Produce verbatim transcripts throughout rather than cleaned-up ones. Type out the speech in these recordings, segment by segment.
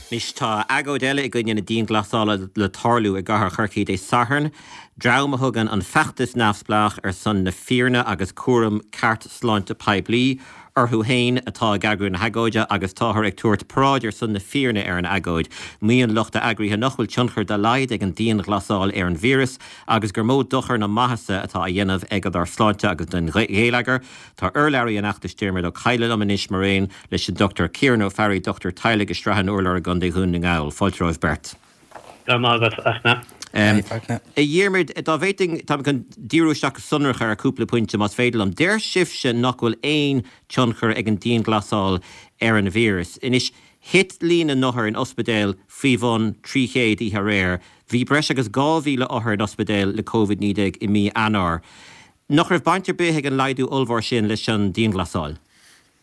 Anois tá agóid eile i gcoinne na dianghlasála le tarlú i gcathair Chorcaí Dé Sathairn, dream a thugann an feachtas neamhspleách ar son na fírinne agus cúram ceart sláinte poiblí orthu féin atá ag eagrú na hagóide agus táthar ag tabhairt paráid ar son na fírinne ar an agóid. Maíonn lucht a eagraithe nach bhfuil tionchar dá laghad ag an dianghlasáil ar an víreas agus gur mó dochar ná maitheasa atá á dhéanamh aige dár sláinte agus don gheilleagar. Tá urlabhraí an fheachtais Diarmuid Ó Cadhla liom anois mar aon leis an Dr Ciarán Ó Fearraigh, dochtúir teaghlaigh i Srath an Urláir i gContae Dhún na nGall. Fáilte romhaibh beirt. Go raibh maith agat, Fachtna. Um, a Dhiarmuid, dá bhféadfainn tá chun díriú isteach go sonrach ar cúpla pointe más féidir liom. Deir sibhse nach bhfuil aon tionchar ag an dianghlasáil ar an víreas. Anois thit líon na n-othar in ospidéal faoi bhun trí chéad oíche aréir. Bhí breis agus dhá mhíle othar in ospidéal le Covid naoi déag i mí Eanáir. Nach raibh baint ar bith ag an laghdú ollmhór sin leis an dianghlasáil?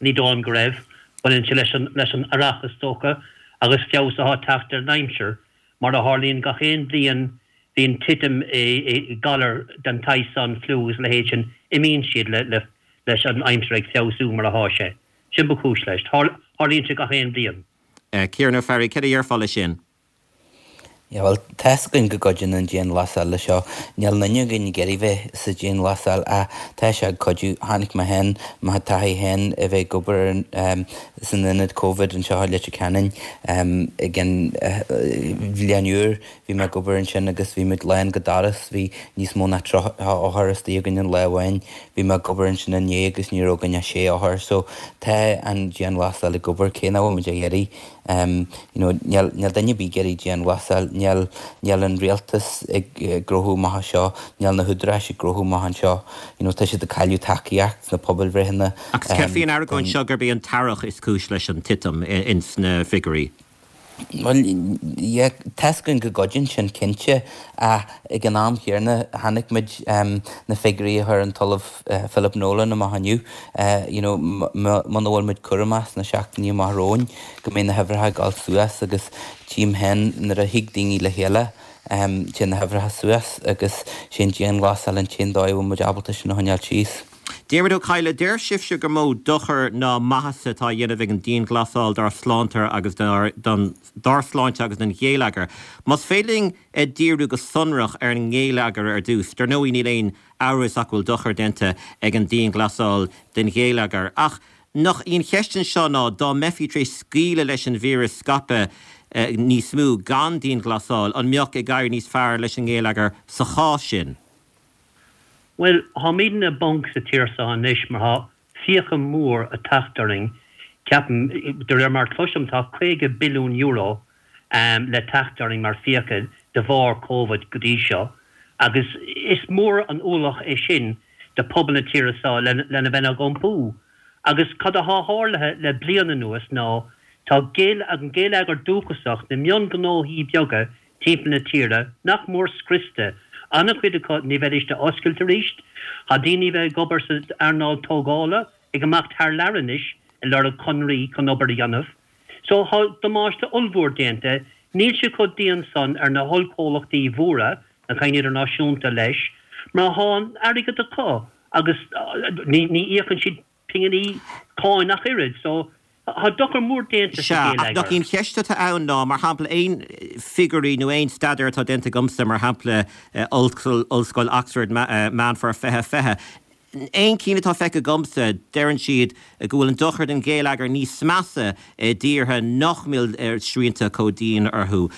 Ní dóigh liom go raibh. Baineann sé leis an leis an earrach is dócha agus feabhas atá ag teacht ar an aimsir. Mar a tharlaíonn gach aon bhliain bíonn titim i i galar den tsaghas san, fliú agus a leithéid sin, imíonn siad le le leis an aimsir ag feabhsú mar atá sé. Sin ba chúis leis. Tarlaíonn sé gach aon bhliain. Ciarán Ó Fearraigh, céard a déarfá leis sin? Yeah, well, tá's againn go gcuidíonn an dianghlasáil leis seo. Níl aon duine againn ag iarraidh bheith sa dianghlasáil ach tá sé ag cuidiú. Chonaic mé féin, mo thaithí féin a bheith ag obair um, san ionad Covid anseo i Leitir Ceanainn um, ag an uh, bhliain úr bhí mé ag obair ansin agus bhí muid lán go doras, bhí níos mó ná tríocha othar istigh againn an lá amháin. Bhí mé ag obair ansin inné agus ní raibh againn ach sé othar, so tá an dianghlasáil ag obair cé nach bhfuil muid ag iarraidh. Um, you know, níl níl duine ar bith ag iarraidh dianghlasáil, níl níl an rialtas ag gnóthú amach anseo, níl na húdaráis ag gnóthú amach anseo, you know, tá siad ag cailleadh tacaíocht sna pobalbhreitheanna. Agus céard faoin argóint seo gurb é an t-earrach is cúis leis an titim ins na figiúirí? Well, yeah, tá's againn go gcuidíonn sin cinnte ach ag an am chéanna chonaic muid um, na figiúirí a chuir an tOllamh uh, Philip Nolan amach inniu. Uh, you know, muna bhfuil muid cúramach sna seachtainí amach romhainn go mbeidh na huimhreacha ag dul suas agus tchím féin nuair a thig daoine le chéile um, téann na huimhreacha suas agus sin dianghlasáil an t-aon dóigh a bhfuil muid ábalta sin a choinneáil síos. Diarmuid Ó Cadhla, deir sibhse gur mó dochar ná maitheasa atá á dhéanamh ag an dianghlasáil dár sláinte agus dár, don, dár sláinte agus don gheilleagar. Más féidir linn díriú go sonrach ar an ngeilleagar ar dtús, dar ndóigh níl aon amhras ach go bhfuil dochar déanta ag an dianghlasáil don gheilleagar. Ach nach í an cheist anseo ná dá mbeifí tar éis scaoileadh leis an víreas scaipeadh eh, níos mó gan dianghlasáil, an mbeadh ag éirí níos fearr leis an ngeilleagar sa chás sin? Well, táimidne i bponc sa tír seo anois mar tá fiacha mór ag teacht orainn. Ceapaim, de réir mar cloisim tá caoga billiún euro um, le teacht orainn mar fiacha de bharr Covid go dtí seo. Agus is mór an ualach é sin do pobal na tíre seo lena bheith ag iompú. Agus cad atá tarlaithe le bliain anuas ná tá an geilleagar dúchasach na mionghnóthaí beaga timpeall na tíre nach mór scriosta. An-chuid acu ní bheidís ag oscailt arís, Tá daoine bheith ag obair sa earnáil tógála ag imeacht thar lear anois ag lorg conraí chun obair a dhéanamh. So tá damáiste ollmhór déanta, níl sé chomh dian san ar na hollchomhlachtaí mhóra na cinn idirnáisiúnta leis, mar tá an airgead acu agus ní ní íocann siad pinginí cáin ach oiread, so tá dochar mór déanta sa Sea, ach nach gheilleagar. í an cheist atá ann ná, mar shampla, aon figiúirí nó aon staidéar atá déanta agamsa, mar shampla Ollscoil Ollscoil Oxford Meán Fómhair fiche fiche, aon cinn atá feicthe agamsa, deireann siad go bhfuil an dochar don gheilleagar níos measa i dtíortha nach bhfuil srianta chomh dian orthu.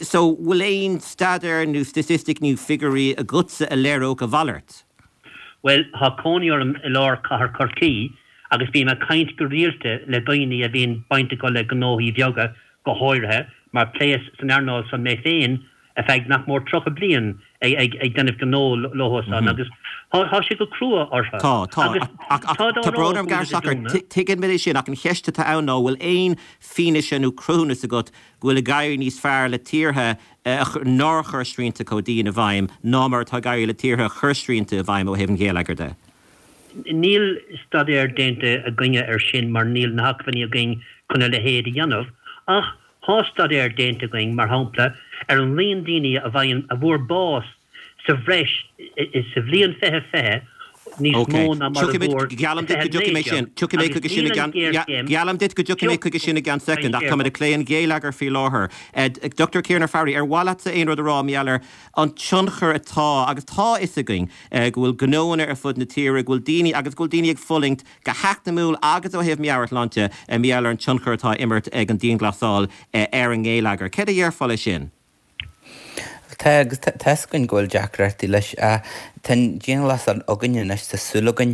So bhfuil aon staidéar nó statistic nó figiúirí agatsa a léireodh a mhalairt? Well, tá cónaí orm i lár cathair Chorcaí agus bím ag caint go rialta le daoine a bhíonn baint acu le gnóthaí beaga go háirithe mar pléas san earnáil san mé féin ar feadh nach mór tríocha bliain ag ag ag déanamh gnó leo san agus tá sé go crua orthu. Tá tá Agus ach ach tá dá tá rá brón orm go bhfuil gar siad ag dúnadh. tuigeann mé sin ach an cheist atá ann ná bhfuil aon fianaise nó cruthúnas agat go bhfuil ag éirí níos fearr le tíortha nár chuir srianta chomh dian i bhfeidhm ná mar atá ag éirí le tíortha a chuir srianta i bhfeidhm ó thaobh an gheilleagair de. Níl staidéar déanta againne ar sin mar níl na hacmhainní againn chun a leithéid a dhéanamh, ach tá staidéar déanta againn mar shampla ar an líon daoine a bhfaigheann a bhfuair bás sa bhreis sa bhliain fiche fiche níos mó ná mar a fuair Geallaim duit go dtiocfaidh mé sin. Tiocfaidh mé chuige sin i gceann Geallaim duit go dtiocfaidh mé chuige sin i gceann soicind ach táimid ag plé an gheilleagar faoi láthair. Dr Ciarán Ó Fearraigh, ar mhaith leatsa aon rud a rá mar gheall ar an tionchar atá agus tá a fhios againn go bhfuil gnóanna ar fud na tíre, go bhfuil daoine agus go bhfuil daoine ag fulaingt go heacnamúil agus ó thaobh meabhairshláinte mar gheall ar an tionchar atá imirt ag an dianghlasáil ar an ngeilleagar. Céard a déarfá leis sin? Tá agus tá a fhios againn go bhfuil deacrachtaí leis. Tá an dianghlasáil againn anois, tá súil againn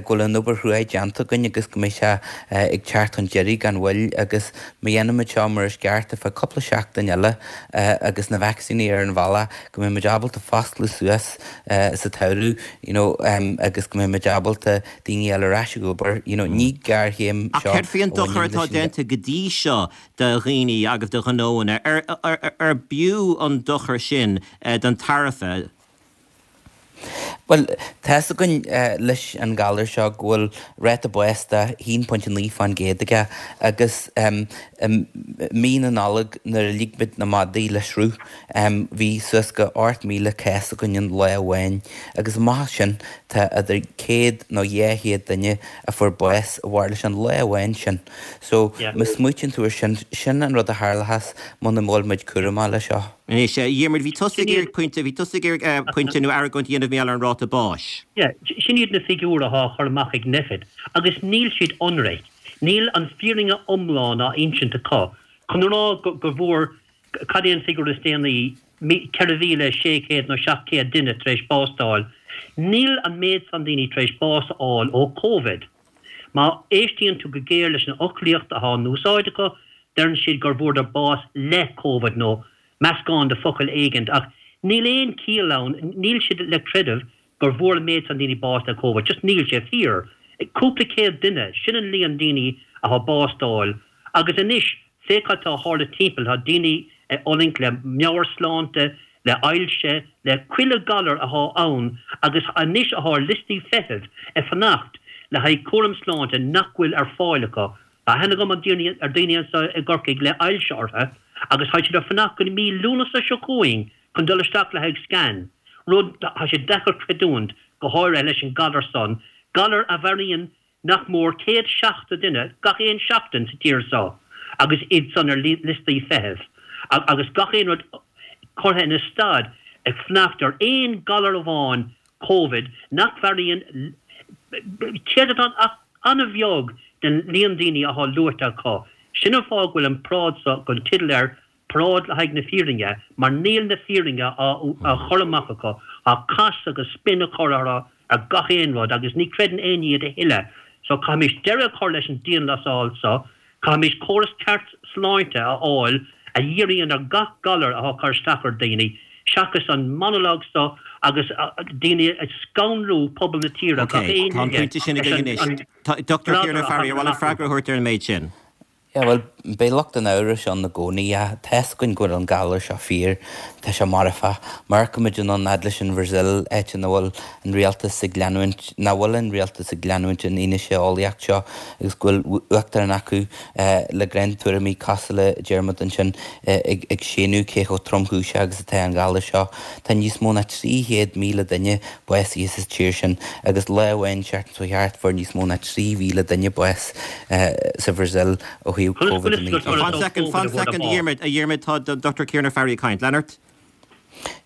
go bhfuil an obair chrua déanta againn agus go mbeidh sé ag teacht chun deiridh gan mhoill agus má dhéanaimid seo mar is ceart ar feadh cúpla seachtain eile agus na vacsaíní ar an bhealach go mbeidh muid ábalta foscladh suas sa tsamhradh you know agus go mbeidh muid ábalta daoine a fháil ar ais ag obair you know ní géarchéim seo. Ach céard faoi an dochar atá déanta go dtí seo do dhaoine agus do ghnóanna? Ar ar b'fhiú an dochar sin don tairbhe? Bhuel, tá a fhios againn leis an ghalar seo go bhfuil ráta báis de haon pointe naoi fán gcéad aige agus i mí na Nollag nuair a lig muid na madaí le sruth bhí suas go ocht míle cás againn in lá amháin agus amach as sin tá idir céad nó dhá chéad duine a fuair bás de bharr leis an lá amháin sin. So, má smaoitíonn tú ar sin, sin an rud a tharlóchas muna bhfuil muid cúramach leis seo. Anois, a Dhiarmuid, bhí tusa ag iarraidh pointe, bhí tusa ag iarraidh pointe nó argóint a dhéanamh mar gheall ar an ráta báis. Yeah, sin iad na figiúir athá á chur amach ag Nphet agus níl siad ionraic. Níl an fírinne iomlán á insint acu. Chun a rá go bhfuair, cad é an figiúr is déanaí, ceithre mhíle sé chéad nó seacht chéad duine tar éis bás d'fháil, níl an méid san daoine tar éis bás a fháil ó Covid. Má éistíonn tú go géar leis an fhoclaíocht athá in úsáid acu, deireann siad gur bhfuaireadar bás le Covid nó meascán de focail éigint ach níl aon chiall ann, níl siad le creideamh gur bhfuair an méid san daoine bás le Covid, just níl sé fíor. Cúpla céad duine, sin an líon daoine athá bás d'fháil agus anois féach cad tá a tharla timpeall, tá daoine ag fulaingt le meabhairshláinte, le ailse, le chuile galar athá ann agus anois athá ar liostaí feithimh ag fanacht le haghaidh cúram sláinte nach bhfuil ar fáil acu. Tá aithne agam ar daoine anseo i gCorcaigh le ailse orthu agus tá siad ag fanacht go mí Lúnasa seo chugainn chun dul isteach le haghaidh scan, rud tá sé deacair creidiúint, go háirithe leis an galar san, galar a mharaíonn nach mór céad seachtó duine gach aon seachtain sa tír seo agus iad san ar liostaí feithimh agus gach aon rud curtha ina stad ag fanacht ar aon galar amháin, Covid, nach mharaíonn céatadán ach an-bheag den líon daoine athá luaite acu. Sin an fáth go bhfuil an paráid seo gan teideal air, Paráid le haghaidh na Fírinne, mar níl na fírinne á chur amach acu, tá cos agus spin á chur orthu ar gach aon rud agus ní chreideann éinne iad a thuilleadh. So caithfimís deireadh a chur leis an dianghlasáil seo, caithfimís córas ceart sláinte a fháil a dhíríonn ar gach galar athá ag cur isteach ar daoine, seachas an monologue seo agus daoine ag scanrú pobal na tíre gach aon Tá an pointe sin againn anois. Dr Ciarán Ó Fearraigh, ar mhaith leat freagra a thabhairt ar an méid sin? Yeah, bhuel, beidh lucht an amhrais ann i gcónaí. Tá a fhios againn go bhfuil an galar seo fíor. Tá sé marfach. Má amharcaimid anonn fhad leis an Bhrasaíl, áit ina bhfuil an rialtas ag leanúint, nach bhfuil an rialtas ag leanúint an fhianaise eolaíocht seo agus go bhfuil uachtarán acu le gnáth-tuairimí cosúil le Diarmuid ansin ag séanadh cé chomh tromchúiseach agus atá an galar seo. Tá níos mó ná trí chéad míle duine básaithe sa tír sin agus lá amháin seachtain seo thart fuair níos mó ná trí mhíle duine bás sa Bhrasaíl ó thaobh Covid a naoi déag. Fan soicind, fan soicind, a Dhiarmuid, a Dhiarmuid, tá Dr Ciarán Ó Fearraigh ag caint. Lean ort.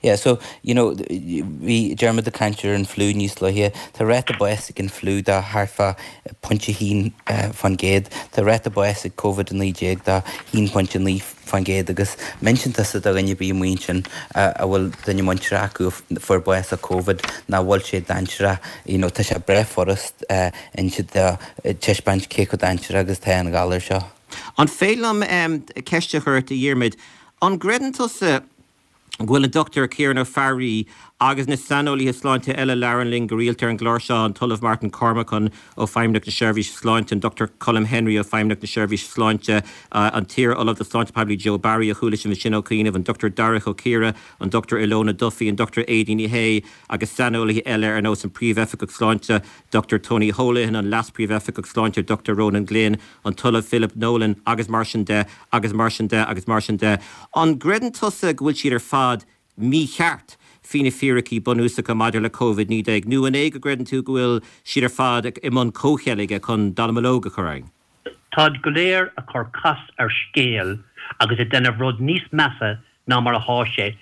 Yeah, so, you know, bhí Diarmuid ag caint ar an fliú níos luaithe. Tá ráta báis ag an fliú de thart fá pointe a haon fán gcéad. Tá ráta báis ag Covid a naoi déag de haon pointe naoi fán gcéad agus má insíonn tusa do dhuine ar bith amuigh ansin a bhfuil duine muinteartha acu a fuair bás ó Covid nach bhfuil sé dainséarach, you know, tá sé breá furast inse dó, taispeáint cé chomh dainséarach agus atá an galar seo. An féidir liom ceist a chur ort, a Dhiarmuid? An gcreideann tusa go bhfuil an Dr Ciarán Ó Fearraigh agus na saineolaithe sláinte eile a labhrann linn go rialta ar an gclár seo, an tOllamh Martin Cormican ó Feidhmeannacht na Seirbhíse Sláinte, an Dr Colm Henry ó Feidhmeannacht na Seirbhíse Sláinte, an t-iar-Ollamh do Shláinte Poiblí Joe Barry a chuala sibh ansin ó chianaibh, an Dr Darach Ó Ciardha, an Dr Ilona Duffy, an Dr Aideen Ní Shé agus saineolaithe eile ar nós an Príomh-Oifigeach Sláinte Dr Tony Holohan, an Leas-Phríomh-Oifigeach Sláinte Dr Ronan Glynn, an tOllamh Philip Nolan agus mar sin de agus mar sin de agus mar sin de. An gcreideann tusa go bhfuil siad ar fad mícheart faoi na fíricí bunúsacha maidir le Covid naoi déag, nó an é go gcreideann tú go bhfuil siad ar fad i mbun comhcheilge chun dallamullóg a chur orainn? Táid go léir a cur cos ar scéal agus ag déanamh rud níos measa ná mar athá sé.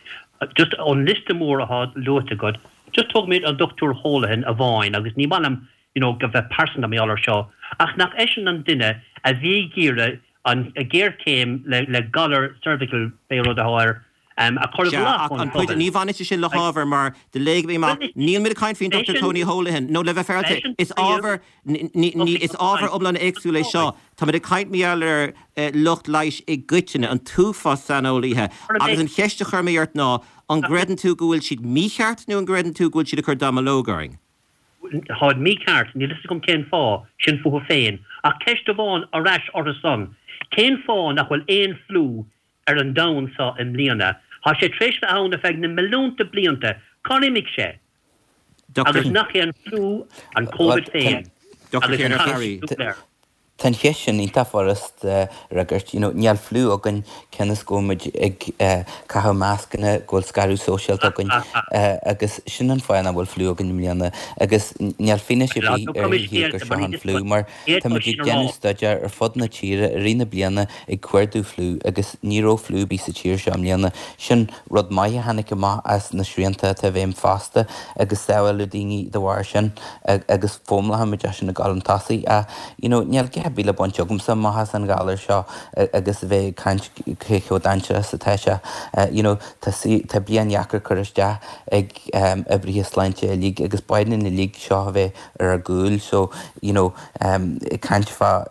Just ón liosta mór athá luaite agat, just tógfaimid an Dochtúir Holohan amháin agus ní maith liom you know go bheith pearsanta mar gheall ar seo, ach nach eisean an duine a bhí ag iarraidh an ghéarchéim le le galar cervical pé rud athá air a chur i Sea, bhfolach ach ón an pointe, phobal. ní bhaineann sé sin le hábhar mar do léigh mé amach, Bhuel, níl muid ag caint faoin Dochtúir eisean, Tony Holohan, nó le bheith féaráilte, eisean is príomh ábhar, ní, ní, is ábhar iomlán éagsúil é seo. Táimid ag caint mar gheall ar lucht leighis i gcoitinne, an t-uafás saineolaithe, agus an cheist a chuir mé ort ná, an gcreideann tú go bhfuil siad mícheart nó an gcreideann tú go bhfuil siad ag cur dallamullóg orainn? Táid mícheart, níl fhios agam cén fáth, sin fúthu féin. Ach ceist amháin ar ais orthu san, cén fáth nach bhfuil aon fliú ar an domhan seo i mbliana? Tá sé tar éis bheith ann ar feadh na milliúnta blianta, cár imigh sé? Agus nach é an fliú an Covid féin agus an cathú. Tá an cheist sin iontach furast a fhreagairt. You know, níl fliú againn cionn is go bhfuil muid ag caitheamh mascanna, go bhfuil scaradh sóisialta againn agus sin an fáth nach bhfuil fliú againn i mbliana. Agus níl fianaise ar bith ar thaobh gur seo an fliú mar tá muid ag déanamh staidéar ar fud na tíre i rith na bliana ag cuardú fliú agus ní raibh fliú ar bith sa tír seo i mbliana. Sin rud maith a tháinig amach as na srianta atá i bhfeidhm fosta agus sábháladh daoine de bharr sin agus foghlaimeoidh muid as sin ag dul chun tosaigh. Ach you know níl a dhath ar bith le baint agamsa amach as an ghalar seo agus a bheith ag caint cé chomh dainséarach is atá sé. You know tá tá bliain dheacair curtha isteach ag oibrithe sláinte uilig agus ba chóir dúinn uilig seo a bheith ar ár gcúl so you know ag caint fá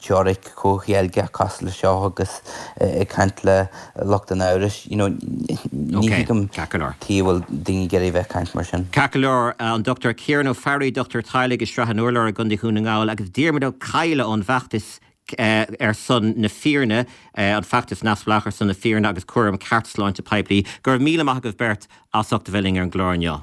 teoiric chomhcheilge cosúil le seo agus ag caint le lucht an amhrais you know ní thuigim tuige a bhfuil daoine ag iarraidh a bheith ag caint mar sin. Ceart go leor, an Dochtúir Ciarán Ó Fearraigh, dochtúir teaghlaigh i Srath an Urláir i gContae Dhún na nGall agus Diarmuid Ó Cadhla ón bhfeachtas ar son na fírinne, an feachtas neamhspleách ar son na fírinne agus cúram ceart sláinte poiblí. Go raibh míle maith agaibh beirt as ucht a bheith linn ar an gclár inniu.